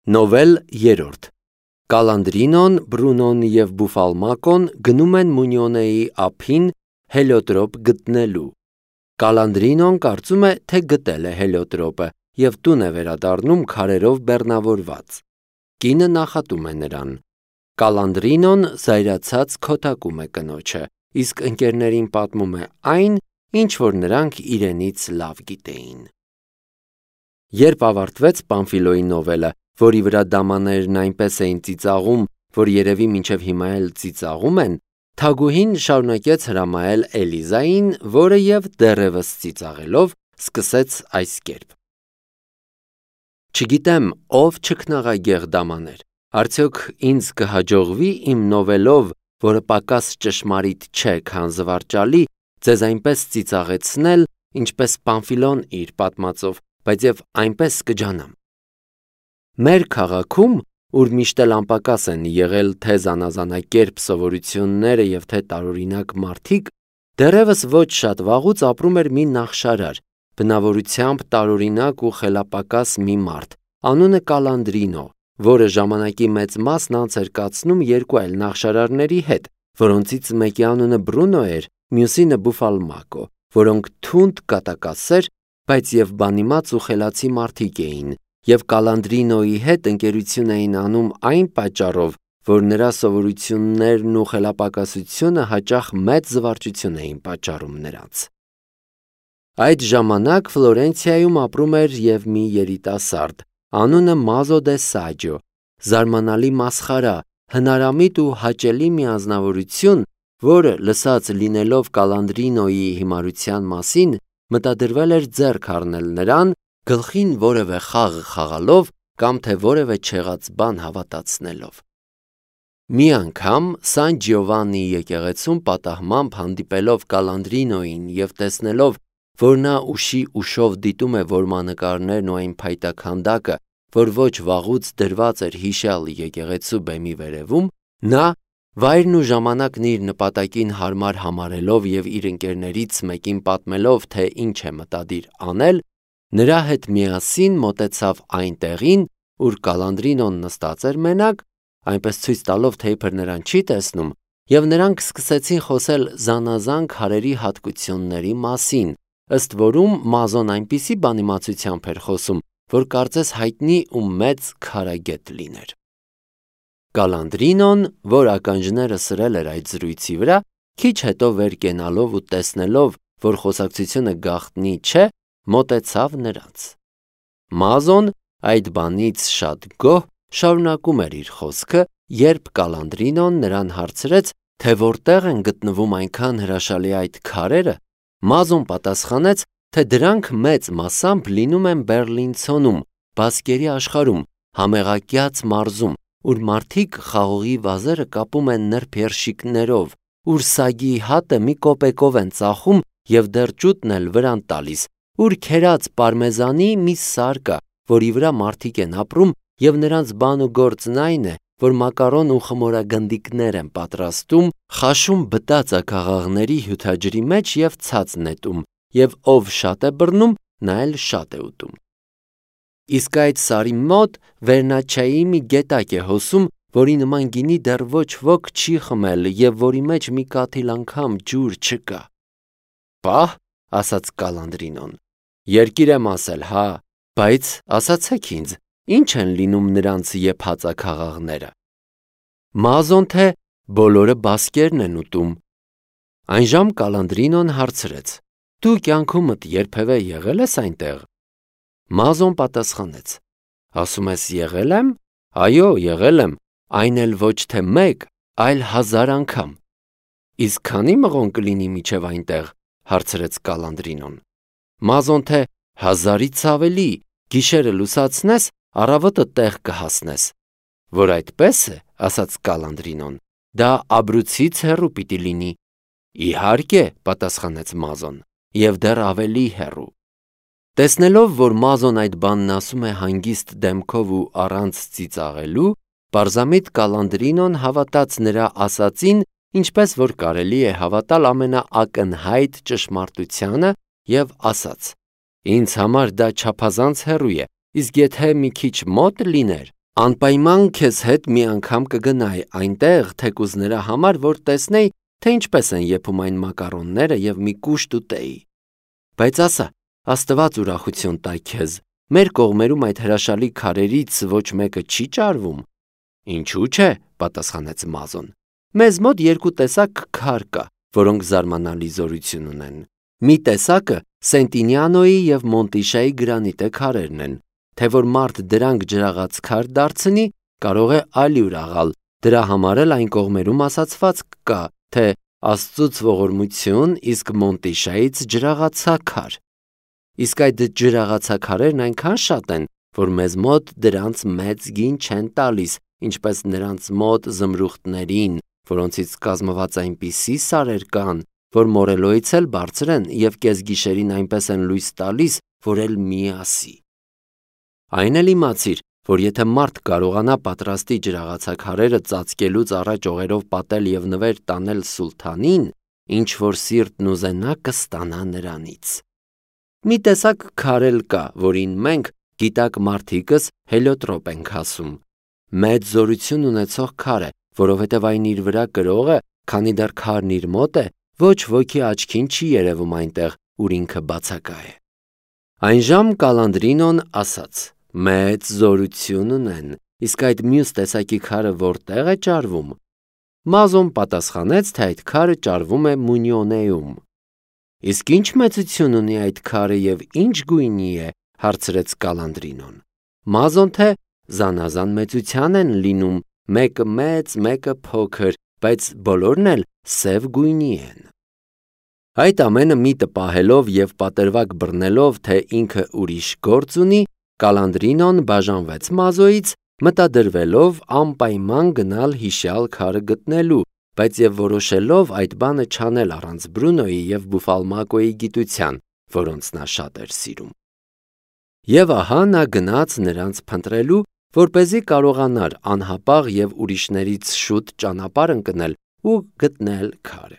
Նովել 3 Կալանդրինոն, Բրունոն և Բուֆալմակոն գնում են Մունյոնեի ափին հելիոտրոպ գտնելու։ Կալանդրինոն կարծում է, թե գտել է հելիոտրոպը և տուն է վերադառնում քարերով բեռնավորված։ Կինը նախատում է նրան։ Կալանդրինոն զայրացած քոթակում է կնոջը, իսկ ընկերներին պատմում է այն, ինչ որ նրանք իրենից լավ գիտեին։ Երբ ավարտվեց Պամֆիլոյի նովելը, որի վրա դամաներն այնպես էին ծիծաղում, որ երևի մինչև հիմա էլ ծիծաղում են, թագուհին շարունակեց հրամայել Էլիզային, որը և դեռևս ծիծաղելով սկսեց այս կերպ. Չգիտեմ, ով չքնաղագեղ դամաներ, արդյոք ինձ կհաջողվի իմ նովելով, որը պակաս ճշմարիտ չէ, քան զվարճալի, ձեզ այնպես ծիծաղեցնել, ինչպես Պամֆիլոն իր պատմածով, բայց և այնպես կջանամ։ Մեր քաղաքում, ուր միշտ էլ անպակաս են եղել թե զանազանակերպ սովորությունները և թե տարօրինակ մարդիկ, դեռևս ոչ շատ վաղուց ապրում էր մի նախշարար, բնավորությամբ տարօրինակ ու խելապակաս մի մարդ, անունը Կալանդրինո, որը ժամանակի մեծ մասն անց էր կացնում երկու այլ նախշարարների հետ, որոնցից մեկի անունը Բրունո էր, մյուսինը Բուֆալմակո, որոնք թունդ կատակասեր, բայց և բանիմաց ու խելացի մարդիկ էին, և Կալանդրինոյի հետ ընկերություն էին անում այն պատճառով, որ նրա սովորություններն ու խելապակասությունը հաճախ մեծ զվարճություն էին պատճառում նրանց։ Այդ ժամանակ Ֆլորենցիայում ապրում էր և մի երիտասարդ, անունը Մազո դե Սաջո, զարմանալի մասխարա, հնարամիտ ու հաճելի մի անձնավորություն, որը լսած լինելով Կալանդրինոյի հիմարության մասին, մտադրվել էր ձեռք առնել նրան, գլխին որևէ խաղ խաղալով կամ թե որևէ չեղած բան հավատացնելով։ Մի անգամ Սան Ջիովաննի եկեղեցում պատահմամբ հանդիպելով Կալանդրինոյին և տեսնելով, որ նա ուշի ուշով դիտում է որմանկարներն ու այն փայտա քանդակը, որ ոչ վաղուց դրված էր հիշյալ եկեղեցու բեմի վերևում, նա, վայրն ու ժամանակն իր նպատակին հարմար համարելով և իր ընկերներից մեկին պատմելով, թե ինչ է մտադիր անել, նրա հետ միասին մոտեցավ այն տեղին, ուր Կալանդրինոն նստած էր մենակ, այնպես ցույց տալով, թե իբր նրան չի տեսնում, և նրանք սկսեցին խոսել զանազան քարերի հատկությունների մասին, ըստ որում Մազոն այնպիսի բանիմացությամբ էր խոսում, որ կարծես հայտնի ու մեծ քարագետ լիներ։ Կալանդրինոն, որ ականջները սրել էր այդ զրույցի վրա, քիչ հետո վեր կենալով ու տեսնելով, որ խոսակցությունը գաղտնի չէ, մոտեցավ նրանց։ Մազոն այդ բանից շատ գոհ շարունակում էր իր խոսքը, երբ Կալանդրինոն նրան հարցրեց, թե որտեղ են գտնվում այնքան հրաշալի այդ քարերը, Մազոն պատասխանեց, թե դրանք մեծ մասամբ լինում են Բեռլինցոնում, Բասկերի աշխարհում, Համեղակյաց մարզում, ուր մարդիկ խաղողի վազերը կապում են նրբերշիկներով, ուր սագի հատը մի կոպեկով են ծախում և դեռ ճուտն էլ վրան տալիս, ուր քերած պարմեզանի մի սար կա, որի վրա մարդիկ են ապրում և նրանց բան ու գործն այն է, որ մակարոն ու խմորագնդիկներ են պատրաստում, խաշում բտածակաղաղների հյութաջրի մեջ և ցած նետում, և ով շատ է բռնում, նա էլ շատ է ուտում։ Իսկ այդ սարի մոտ Վերնաչչայի մի գետակ է հոսում, որի նման գինի դեռ ոչ ոք չի խմել և որի մեջ մի կաթիլ անգամ ջուր չկա։ Պահ, ասաց Կալանդրինոն, երկիր եմ ասել, հա, բայց ասացեք ինձ, ինչ են լինում նրանց եփածակաղաղները։ Մազոն թե բոլորը բասկերն են ուտում։ Այնժամ Կալանդրինոն հարցրեց. Դու կյանքումդ երբևէ եղել ես այնտեղ։ Մազոն պատասխանեց. ասում ես եղել եմ, այո, եղել եմ, այն էլ ոչ թե մեկ, այլ 1000 անգամ։ Իսկ քանի մղոն կլինի մինչև այնտեղ, հարցրեց Կալանդրինոն։ Մազոն թե 1000-ից ավելի, գիշերը լուսացնես, առավոտը տեղ կհասնես։ Որ այդպես է, ասաց Կալանդրինոն, դա Աբրուցից հեռու պիտի լինի։ Իհարկե, պատասխանեց Մազոն, և դեռ ավելի հեռու։ Տեսնելով, որ Մազոն այդ բանն ասում է հանգիստ դեմքով ու առանց ծիծաղելու, պարզամիտ Կալանդրինոն հավատաց նրա ասածին, ինչպես որ կարելի է հավատալ ամենաակնհայտ ճշմարտությանը և ասաց. Ինձ համար դա չափազանց հեռու է, իսկ եթե մի քիչ մոտ լիներ, Անպայման քեզ հետ մի անգամ կգնայի այնտեղ, թեկուզ նրա համար, որ տեսնեի, թե ինչպես են եփում այն մակարոնները եւ մի կուշտ ուտեի։ Բայց ասա, Աստված ուրախություն տա քեզ, մեր կողմերում այդ հրաշալի քարերից ոչ մեկը չի ճարվում։ Ինչու՞ չէ, պատասխանեց Մազոն։ Մեզ մոտ երկու տեսակ քար կա, որոնք զարմանալի զորություն ունեն։ Մի տեսակը Սենտինիանոյի եւ Մոնտիշայի գրանիտե քարերն են, թե որ մարդ դրանք ջրաղաց քար դարձնի, կարող է ալյուր աղալ։ Դրա համար էլ այն կողմերում ասացված կա, թե Աստծուց ողորմություն, իսկ Մոնտիշայից ջրաղացաքար։ Իսկ այդ ջրաղացաքարերն այնքան շատ են, որ մեզ մոտ դրանց մեծ գին չեն տալիս, ինչպես նրանց մոտ զմրուխտներին, որոնցից կազմված այնպիսի սարեր կան, որ մորելոյից էլ բարձր են եւ կեսգիշերին այնպես են լույս տալիս, որ էլ մի ասի։ Այն էլ իմացիր, որ եթե մարդ կարողանա պատրաստի ջրաղացաքարերը ծածկելուց առաջ օղերով պատել եւ նվեր տանել սուլթանին, ինչ որ սիրտն ուզենա կստանա նրանից։ Մի տեսակ քարել կա, որին մենք գիտակ մարդիկս հելիոտրոպ ենք ասում։ Մեծ զորություն ունեցող քար է, որովհետև այն իր վրա կրող է, քանի դեռ քարն իր մոտ է, ոչ ոքի աչքին չի երևում այնտեղ, ուր ինքը բացակա է։ Այնժամ Կալանդրինոն ասաց. Մեծ զորություն ունեն, իսկ այդ մյուս տեսակի քարը որտեղ է ճարվում։ Մազոն պատասխանեց, թե այդ քարը ճարվում է Մունիոնեում։ Իսկ ինչ մեծություն ունի այդ քարը եւ ինչ գույնի է, հարցրեց Կալանդրինոն։ Մազոն թե զանազան մեծության են լինում, մեկը մեծ, մեկը փոքր, բայց բոլորն էլ սև գույնի են։ Այդ ամենը միտը պահելով եւ պատրվակ բռնելով, թե ինքը ուրիշ գործ ունի, Կալանդրինոն բաժանվեց Մազոյից, մտադրվելով անպայման գնալ հիշյալ քարը գտնելու, բայց եւ որոշելով այդ բանը չանել առանց Բրունոյի եւ Բուֆալմակոյի գիտության, որոնց նա շատ էր սիրում։ Եվ ահա նա գնաց նրանց փնտրելու, որպեսզի կարողանար անհապաղ եւ ուրիշներից շուտ ճանապարհ ընկնել ու գտնել քարը։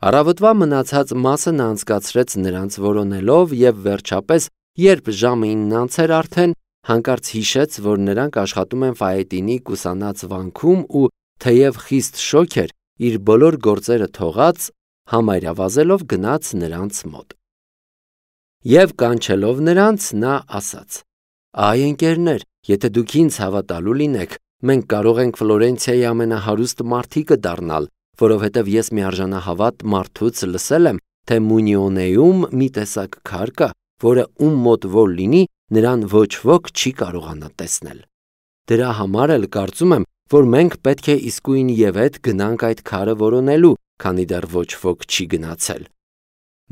Առավոտվա մնացած մասը նա անցկացրեց նրանց որոնելով եւ վերջապես, երբ ժամը 9-ից էր արդեն, հանկարծ հիշեց, որ նրանք աշխատում են Ֆայետինի կուսանած վանքում ու թեև խիստ շոգ էր, իր բոլոր գործերը թողած, համարյա վազելով գնաց նրանց մոտ։ Եվ կանչելով նրանց, նա ասաց. Այ ընկերներ, եթե դուք ինձ հավատալու լինեք, մենք կարող ենք Ֆլորենցիայի ամենահարուստ մարդիկը դառնալ, որովհետև ես միարժանահավատ մարդուց լսել եմ, թե Մունիոնեում մի տեսակ քար կա, որը ում մոտ որ լինի, նրան ոչ ոք չի կարողանա տեսնել։ Դրա համար էլ կարծում եմ, որ մենք պետք է իսկույն եւ հետ գնանք այդ քարը որոնելու, քանի դեռ ոչ ոք չի գնացել։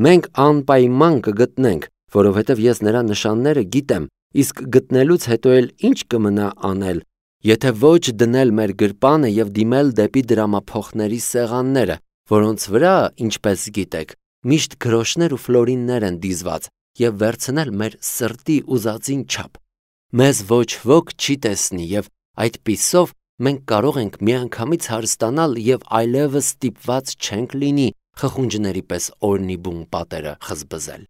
Մենք անպայման կգտնենք, որովհետև ես նրա նշանները գիտեմ, իսկ գտնելուց հետո էլ ինչ կմնա անել, եթե ոչ դնել մեր գրպանը եւ դիմել դեպի դրամափոխների սեղանները, որոնց վրա, ինչպես գիտեք, միշտ գրոշներ ու ֆլորիններ են դիզված, եւ վերցնել մեր սրտի ուզածին չափ։ Մեզ ոչ ոք չի տեսնի եւ այդպիսով մենք կարող ենք միանգամից հարստանալ եւ այլևս ստիպված չենք լինի խխունջների պես օրնի բուն պատերը խզբզել։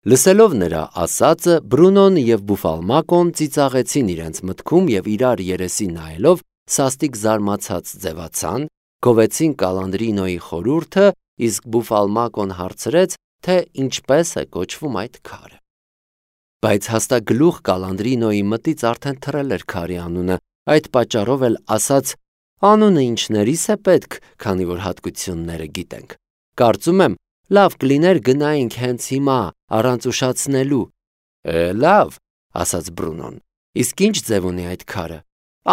Լսելով նրա ասածը, Բրունոն եւ Բուֆալմակոն ծիծաղեցին իրենց մտքում եւ իրար երեսի նայելով սաստիկ զարմացած ձևացան, գովեցին Կալանդրինոյի խորհուրդը, իսկ Բուֆալմակոն հարցրեց, թե ինչպես է կոչվում այդ քարը։ Բայց հաստագլուխ Կալանդրինոյի մտից արդեն թռել էր քարի անունը, այդ պատճառով էլ ասաց. Անունը ինչներիս է պետք, քանի որ հատկությունները գիտենք։ Կարծում եմ, լավ կլիներ գնայինք հենց հիմա, առանց ուշացնելու։ Լավ, ասաց Բրունոն։ Իսկ ինչ ձև ունի այդ քարը։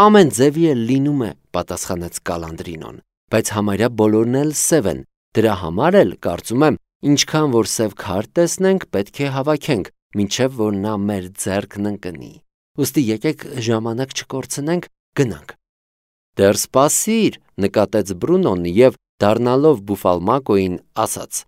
Ամեն ձևի էլ լինում է, պատասխանեց Կալանդրինոն, բայց համարյա բոլորն էլ սև են։ Դրա համար էլ կարծում եմ, ինչքան որ սև քար տեսնենք, պետք է հավաքենք, մինչև որ նա մեր ձեռքն ընկնի։ Ուստի եկեք ժամանակ չկորցնենք, գնանք։ Դեռ սպասիր, նկատեց Բրունոն եւ դառնալով Բուֆալմակոյին ասաց.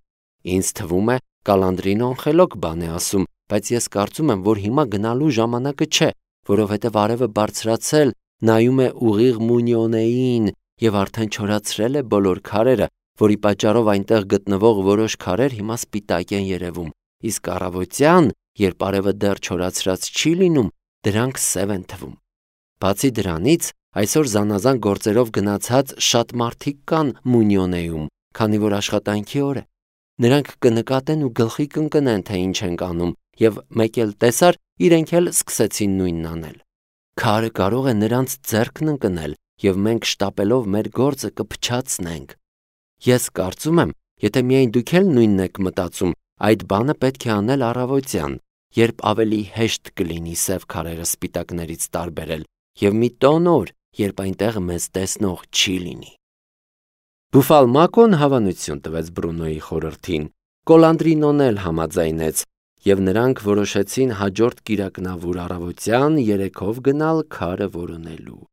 Ինձ թվում է Կալանդրինոն խելոք բան է ասում, բայց ես կարծում եմ, որ հիմա գնալու ժամանակը չէ, որովհետև արևը բարձրացել, նայում է ուղիղ Մունիոնեին եւ արդեն չորացրել է բոլոր քարերը, որի պատճառով այնտեղ գտնվող որոշ քարեր հիմա սպիտակ են երևում, իսկ առավոտյան, երբ արևը դեռ չորացրած չի լինում, դրանք սև են թվում։ Բացի դրանից, այսօր զանազան գործերով գնացած շատ մարդիկ կան Մունյոնեում, քանի որ աշխատանքի օր է։ Նրանք կնկատեն ու գլխի կընկնեն, թե ինչ ենք անում, եւ մեկ էլ տեսար, իրենք էլ սկսեցին նույնն անել։ Քարը կարող է նրանց ձեռքն ընկնել, եւ մենք շտապելով մեր գործը կփչացնենք։ Ես կարծում եմ, եթե միայն դուք էլ նույնն եք մտածում, այդ բանը պետք է անել առավոտյան, երբ ավելի հեշտ կլինի սև քարերը սպիտակներից տարբերել, եւ մի տոն օր, երբ այնտեղ մեզ տեսնող չի լինի։ Բուֆալմակոն հավանություն տվեց Բրունոյի խորհրդին, Կոլանդրինոն էլ համաձայնեց, եւ նրանք որոշեցին հաջորդ կիրակնավուր առավոտյան երեքով գնալ քարը որոնելու։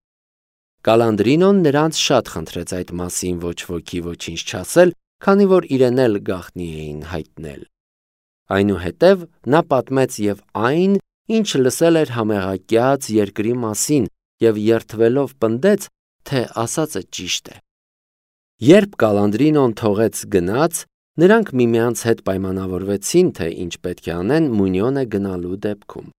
Կալանդրինոն նրանց շատ խնդրեց այդ մասին ոչ ոքի ոչինչ չասել, քանի որ իրեն էլ գաղտնի էին հայտնել։ Այնուհետև նա պատմեց եւ այն, ինչ լսել էր համեղակյաց երկրի մասին եւ երթվելով պնդեց, թե ասածը ճիշտ է։ Երբ Կալանդրինոն թողեց գնաց, նրանք միմյանց հետ պայմանավորվեցին, թե ինչ պետք է անեն Մունյոնե գնալու դեպքում։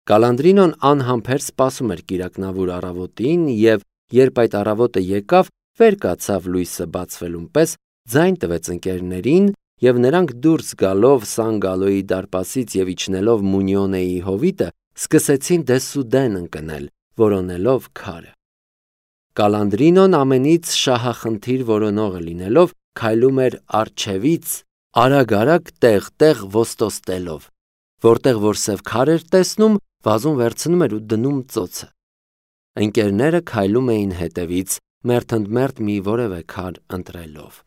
Կալանդրինոն անհամբեր սպասում էր կիրակնավուր առավոտին եւ երբ այդ առավոտը եկավ, վեր կացավ լույսը բացվելուն պես, ձայն տվեց ընկերներին եւ նրանք դուրս գալով Սանգալոյի դարպասից եւ իջնելով Մունյոնեի հովիտը, սկսեցին դեսուդեն ընկնել, որոնելով քարը։ Կալանդրինոն ամենից շահախնդիր որոնողը լինելով քայլում էր առջևից, արագ-արագ տեղ-տեղ ոստոստելով, որտեղ որ սև քար էր տեսնում, վազում վերցնում էր ու դնում ծոցը։ Ընկերները քայլում էին հետևից, մերթընդմերթ մի որևէ քար ընտրելով։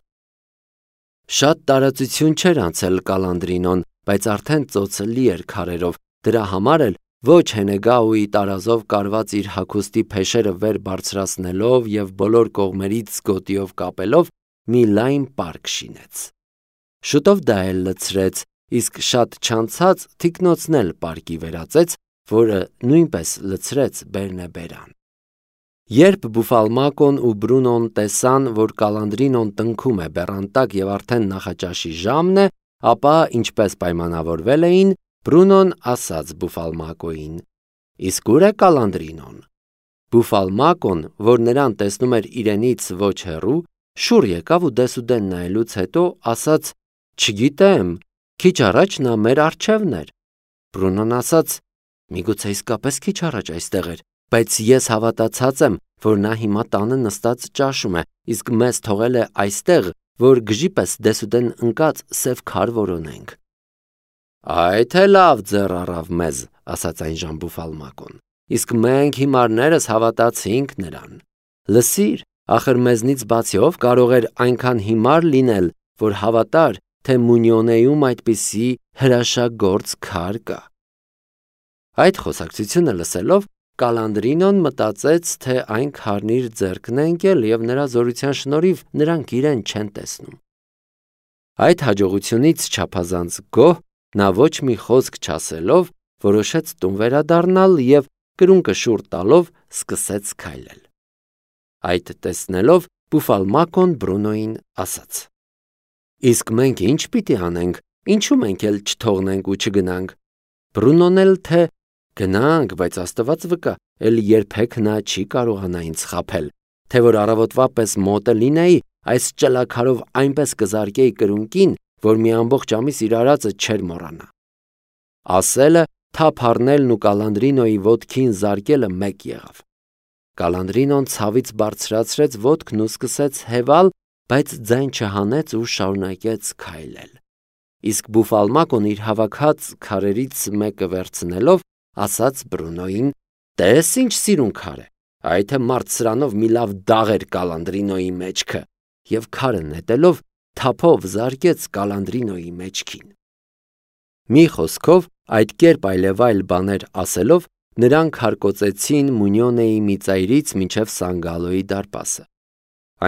Շատ տարածություն չէր անցել Կալանդրինոն, բայց արդեն ծոցը լի էր քարերով, դրա համար էլ ոչ Հենեգաուի տարազով կարված իր հագուստի փեշերը վեր բարձրացնելով եւ բոլոր կողմերից գոտիով կապելով մի լայն պարկ շինեց։ Շուտով դա էլ լցրեց, իսկ շատ չանցած թիկնոցն էլ պարկի վերածեց, որը նույնպես լցրեց Բերնեբերան։ Երբ Բուֆալմակոն ու Բրունոն տեսան, որ Կալանդրինոն տնքում է բեռան տակ եւ արդեն նախաճաշի ժամն է, ապա ինչպես պայմանավորվել էին, Բրունոն ասաց Բուֆալմակոին. «Իսկ ուր է Կալանդրինոն»։ Բուֆալմակոն, որ նրան տեսնում էր իրենից ոչ հեռու, շուռ եկավ ու դեսուդեն նայելուց հետո ասաց. «Չգիտեմ, քիչ առաջ նա մեր առջևն էր»։ Բրունոն ասաց. «Միգուցե իսկապես քիչ առաջ այստեղ էր, բայց ես հավատացած եմ, որ նա հիմա տանը նստած ճաշում է, իսկ մեզ թողել է այստեղ, որ գժի պես դեսուդեն ընկած սև քար որոնենք»։ «Այ թե լավ ձեռ առավ մեզ», ասաց այնժամ Բուֆալմակոն, «իսկ մենք հիմարներս հավատացինք նրան։ Լսիր, ախր մեզնից բացի ով կարող էր այնքան հիմար լինել, որ հավատար, թե Մունյոնեում այդպիսի հրաշագործ քար կա»։ Այդ խոսակցությունը լսելով, Կալանդրինոն մտածեց, թե այն քարն իր ձեռքն է ընկել եւ նրա զորության շնորհիվ նրանք իրեն չեն տեսնում։ Այդ հաջողությունից չափազանց գոհ, նա ոչ մի խոսք չասելով, որոշեց տուն վերադառնալ եւ կրունկը շուռ տալով սկսեց քայլել։ Այդ տեսնելով Բուֆալմակոն Բրունոյին ասաց. «Իսկ մենք ինչ պիտի անենք, ինչու մենք էլ չթողնենք ու չգնանք»։ Բրունոն էլ թե «Գնանք, բայց Աստված վկա, էլ երբեք նա չի կարողանա ինձ խաբել, թե որ առավոտվա պես մոտը լինեի, այս ճլաքարով այնպես կզարկեի կրունկին, որ մի ամբողջ ամիս իր արածը չէր մոռանա»։ Ասելը թափ առնելն ու Կալանդրինոյի ոտքին զարկելը մեկ եղավ։ Կալանդրինոն ցավից բարձրացրեց ոտքն ու սկսեց հեվալ, բայց ձայն չհանեց ու շարունակեց քայլել։ Իսկ Բուֆալմակոն իր հավաքած քարերից մեկը վերցնելով, ասաց Բրունոյին. «Տես ինչ սիրուն քար է, այ թե մարդ սրանով մի լավ դաղ էր Կալանդրինոյի մեջքը», եւ քարը նետելով թափով զարկեց Կալանդրինոյի մեջքին։ Մի խոսքով, այդ կերպ այլևայլ բաներ ասելով, նրանք հարկոծեցին Մունյոնեի մի ծայրից մինչև Սանգալոյի դարպասը։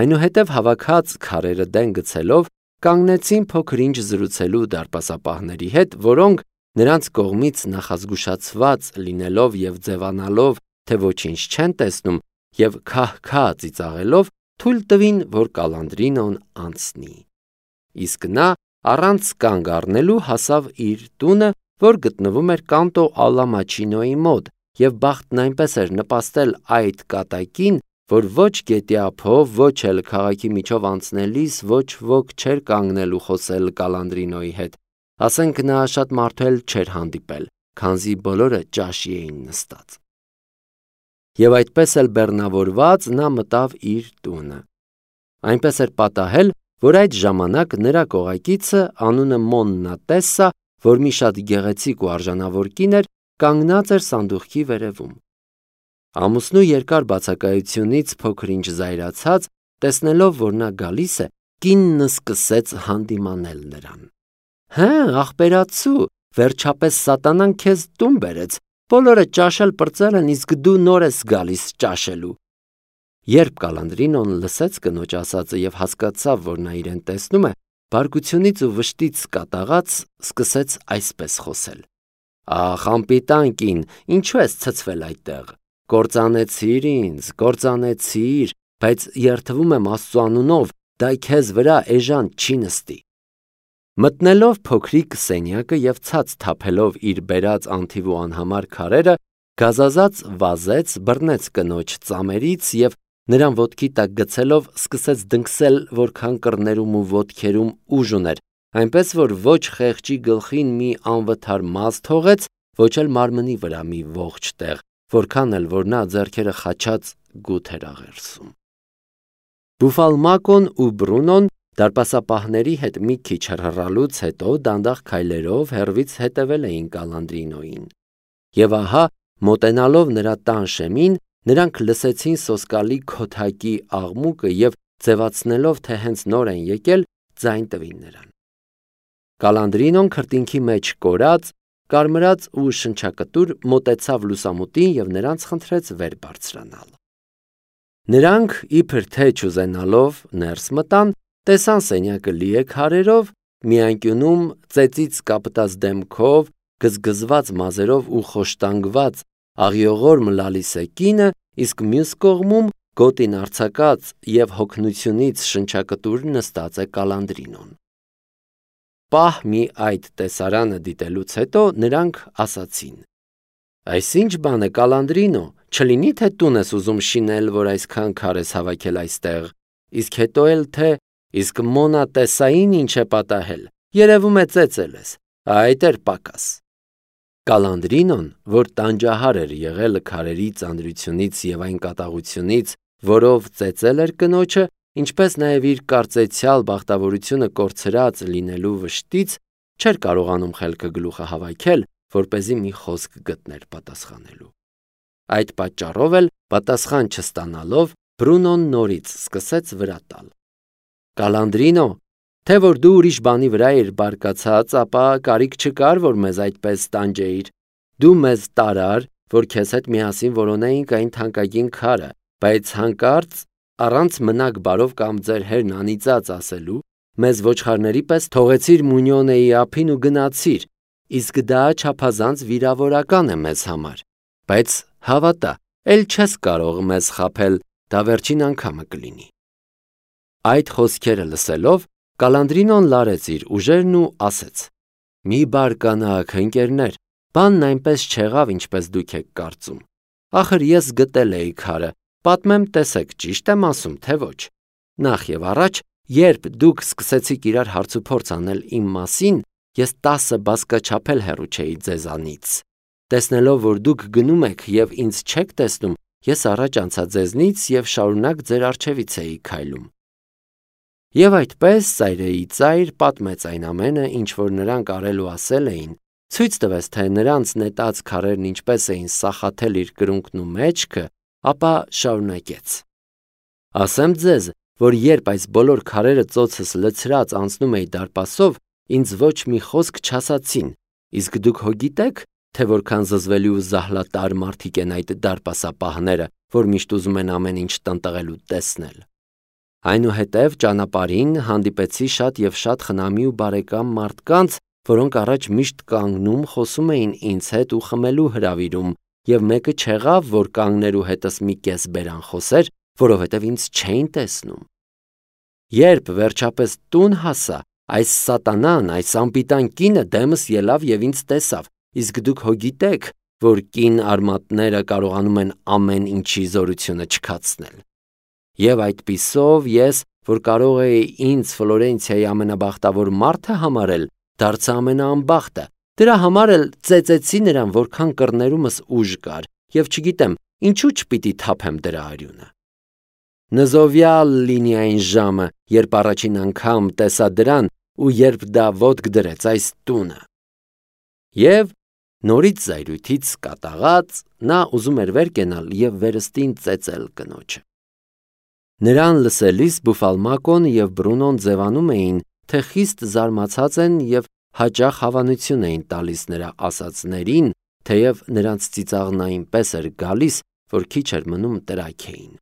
Այնուհետև հավաքած քարերը դեն գցելով, կանգնեցին փոքր-ինչ զրուցելու դարպասապահների հետ, որոնք նրանց կողմից նախազգուշացված լինելով եւ ձևանալով, թե ոչինչ չեն տեսնում, եւ քահ-քահ ծիծաղելով, թույլ տվին, որ Կալանդրինոն անցնի։ Իսկ նա առանց կանգ առնելու հասավ իր տունը, որ գտնվում էր Կանտո Ալլա Մաչինոյի մոտ, և բախտն այնպես էր նպաստել այդ կատակին, որ ոչ գետի ափով, ոչ էլ քաղաքի միջով անցնելիս ոչ ոք չէր կանգնել ու խոսել Կալանդրինոյի հետ, ասենք նա շատ մարդու էլ չէր հանդիպել, քանզի բոլորը ճաշի էին նստած։ Եվ այդպես էլ բեռնավորված նա մտավ իր տունը։ Այնպես էր պատահել, որ այդ ժամանակ նրա կողակիցը անունը Մոննա Տեսսա, որ մի շատ գեղեցիկ ու արժանավոր կին էր, կանգնած էր սանդուղքի վերևում։ Ամուսնու երկար բացակայությունից փոքր-ինչ զայրացած, տեսնելով, որ նա գալիս է, կինն սկսեց հանդիմանել նրան։ «Հը, ախպերացու, վերջապես սատանան քեզ տուն բերեց, բոլորը ճաշել պրծել են, իսկ դու նոր ես գալիս ճաշելու»։ Երբ Կալանդրինոն լսեց կնոջ ասածը և հասկացավ, որ նա իրեն տեսնում է, բարկությունից ու վշտից կատաղած սկսեց այսպես խոսել. «Ախ, անպիտան կին, ինչու ես ցցվել այդտեղ, կործանեցիր ինձ, կործանեցիր, բայց երդվում եմ Աստծու անունով, դա քեզ վրա էժան չի նստի»։ Մտնելով փոքրիկ սենյակը և ցած թափելով իր բերած անթիվ ու անհամար քարերը, գազազած վազեց, բռնեց կնոջ ծամերից և նրան ոտքի տակ գցելով սկսեց դնգսել, որքան կռներում ու ոտքերում ուժ ուներ, այնպես որ ոչ խեղճի գլխին մի անվթար մազ թողեց, ոչ էլ մարմնի վրա մի ողջ տեղ, որքան էլ որ նա ձեռքերը խաչած գութ էր աղերսում։ Բուֆալմակոն ու Բրունոն դարպասապահների հետ մի քիչ հռհռալուց հետո դանդաղ քայլերով հեռվից հետևել էին Կալանդրինոյին։ Եվ ահա, մոտենալով նրա տան շեմին, նրանք լսեցին սոսկալի քոթակի աղմուկը և ձևացնելով, թե հենց նոր են եկել, ձայն տվին նրան։ Կալանդրինոն քրտինքի մեջ կորած, կարմրած ու շնչակտուր մոտեցավ լուսամուտին և նրանց խնդրեց վեր բարձրանալ։ Նրանք, իբր թե չուզենալով, ներս մտան, տեսան սենյակը լի է քարերով, մի անկյունում ծեծից կապտած դեմքով, գզգզված մազերով ու խոշտանգված աղիողորմ Լալիսե կինը, իսկ մյուս կողմում գոտին արձակած և հոգնությունից շնչակտուր նստած է Կալանդրինոն։ Պահ մի այդ տեսարանը դիտելուց հետո նրանք ասացին. «Այս ինչ բան է, Կալանդրինո, չլինի թե տուն ես ուզում շինել, որ այսքան քար ես հավաքել այստեղ, իսկ հետո էլ թե իսկ Մոննա Տեսսային ինչ է պատահել, երևում է ծեծել ես, այդ էր պակաս»։ Կալանդրինոն, որ տանջահար էր եղել քարերի ծանրությունից և այն կատաղությունից, որով ծեծել էր կնոջը, ինչպես նաև իր կարծեցյալ բախտավորությունը կորցրած լինելու վշտից, չէր կարողանում խելքը գլուխը հավաքել, որպեսզի մի խոսք գտներ պատասխանելու։ Այդ պատճառով էլ, պատասխան չստանալով, Բրունոն նորից սկսեց վրա տալ։ «Կալանդրինո, թե որ դու ուրիշ բանի վրա էիր բարկացած, ապա կարիք չկար, որ մեզ այդպես տանջեիր։ Դու մեզ տարար, որ քեզ հետ միասին որոնեինք այն թանկագին քարը, բայց հանկարծ, առանց մնաք բարով կամ ձեր հերն անիծած ասելու, մեզ ոչխարների պես թողեցիր Մունյոնեի ափին ու գնացիր, իսկ դա չափազանց վիրավորական է մեզ համար, բայց հավատա, էլ չես կարող մեզ խաբել, դա վերջին անգամը կլինի»։ Այդ խոսքերը լսելով, Կալանդրինոն լարեց իր ուժերն ու ասեց. «Մի բարկանաք, ընկերներ, բանն այնպես չեղավ, ինչպես դուք եք կարծում։ Ախր ես գտել էի քարը, պատմեմ, տեսեք, ճիշտ եմ ասում, թե ոչ։ Նախ եւ առաջ, երբ դուք սկսեցիք իրար հարցուփորձ անել իմ մասին, ես 10 բազկաչափ էլ հեռու չէի ձեզանից։ Տեսնելով, որ դուք գնում եք եւ ինձ չեք տեսնում, ես առաջ անցա ձեզնից եւ շարունակ ձեր առջևից էի քայլում»։ Եվ այդպես ծայրեի ծայր պատմեց այն ամենը, ինչ որ նրանք արել ու ասել էին, ցույց տվեց, թե նրանց նետած քարերն ինչպես էին սախաթել իր կրունկն ու մեջքը, ապա շարունակեց. «Ասեմ ձեզ, որ երբ այս բոլոր քարերը ծոցս լցրած անցնում էի դարպասով, ինձ ոչ մի խոսք չասացին, իսկ դուք հո գիտեք, թե որքան զզվելի ու զահլատար մարդիկ են այդ դարպասապահները, որ միշտ ուզում են ամեն ինչ տնտղել ու տեսնել։ Այնուհետև ճանապարհին հանդիպեցի շատ և շատ խնամի ու բարեկամ մարդկանց, որոնք առաջ միշտ կանգնում խոսում էին ինձ հետ ու խմելու հրավիրում, և մեկը չեղավ, որ կանգներ ու հետս մի կես բերան խոսեր, որովհետև ինձ չէին տեսնում։ Երբ վերջապես տուն հասա, այս սատանան, այս անպիտան կինը դեմս ելավ և ինձ տեսավ, իսկ դուք հո գիտեք, որ կին արմատները կարողանում են ամեն ինչի զորությունը չքացնել։ Եվ այդպիսով ես, որ կարող էի ինձ Ֆլորենցիայի ամենաբախտավոր մարդը համարել, դարձա ամենաանբախտը։ Դրա համար էլ ծեծեցի նրան, որքան կռներումս ուժ կար, եւ չգիտեմ, ինչու չպիտի թափեմ դրա արյունը։ Նզովյալ լինի այն ժամը, երբ առաջին անգամ տեսա դրան ու երբ դա ոտք դրեց այս տունը։ Եվ նորից զայրույթից կատաղած նա ուզում էր վեր կենալ եւ վերստին ծեծել կնոջը։ Նրան լսելիս Բուֆալմակոն եւ Բրունոն ձևանում էին, թե խիստ զարմացած են եւ հաճախ հավանություն էին տալիս նրա ասածներին, թեև նրանց ծիծաղն այնպես էր գալիս, որ քիչ էր մնում տրաքեին։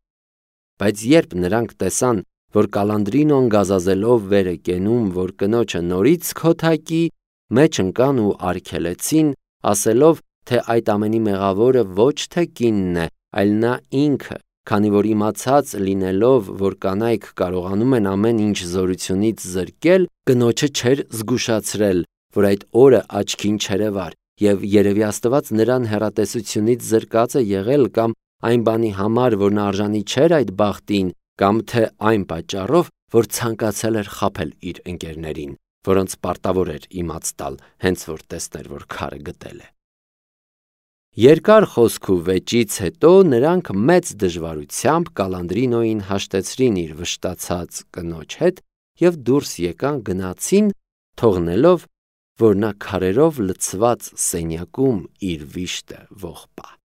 Բայց երբ նրանք տեսան, որ Կալանդրինոն գազազելով վեր է կենում, որ կնոջը նորից քոթակի, մեջ ընկան ու արգելեցին, ասելով, թե այդ ամենի մեղավորը ոչ թե կինն է, այլ նա ինքը, քանի որ իմացած լինելով, որ կանայք կարողանում են ամեն ինչ զորությունից զրկել, կնոջը չէր զգուշացրել, որ այդ օրը աչքին չերևար, եւ երևի Աստված նրան հեռատեսությունից զրկած է եղել կամ այն բանի համար, որ նա արժանի չէր այդ բախտին, կամ թե այն պատճառով, որ ցանկացել էր խաբել իր ընկերներին, որոնց պարտավոր էր իմաց տալ, հենց որ տեսներ, որ քարը գտել է։ Երկար խոսք ու վեճից հետո նրանք մեծ դժվարությամբ Կալանդրինոին հաշտեցրին իր վշտացած կնոջ հետ եւ դուրս եկան գնացին, թողնելով, որ նա քարերով լցված սենյակում իր վիշտը ողբա։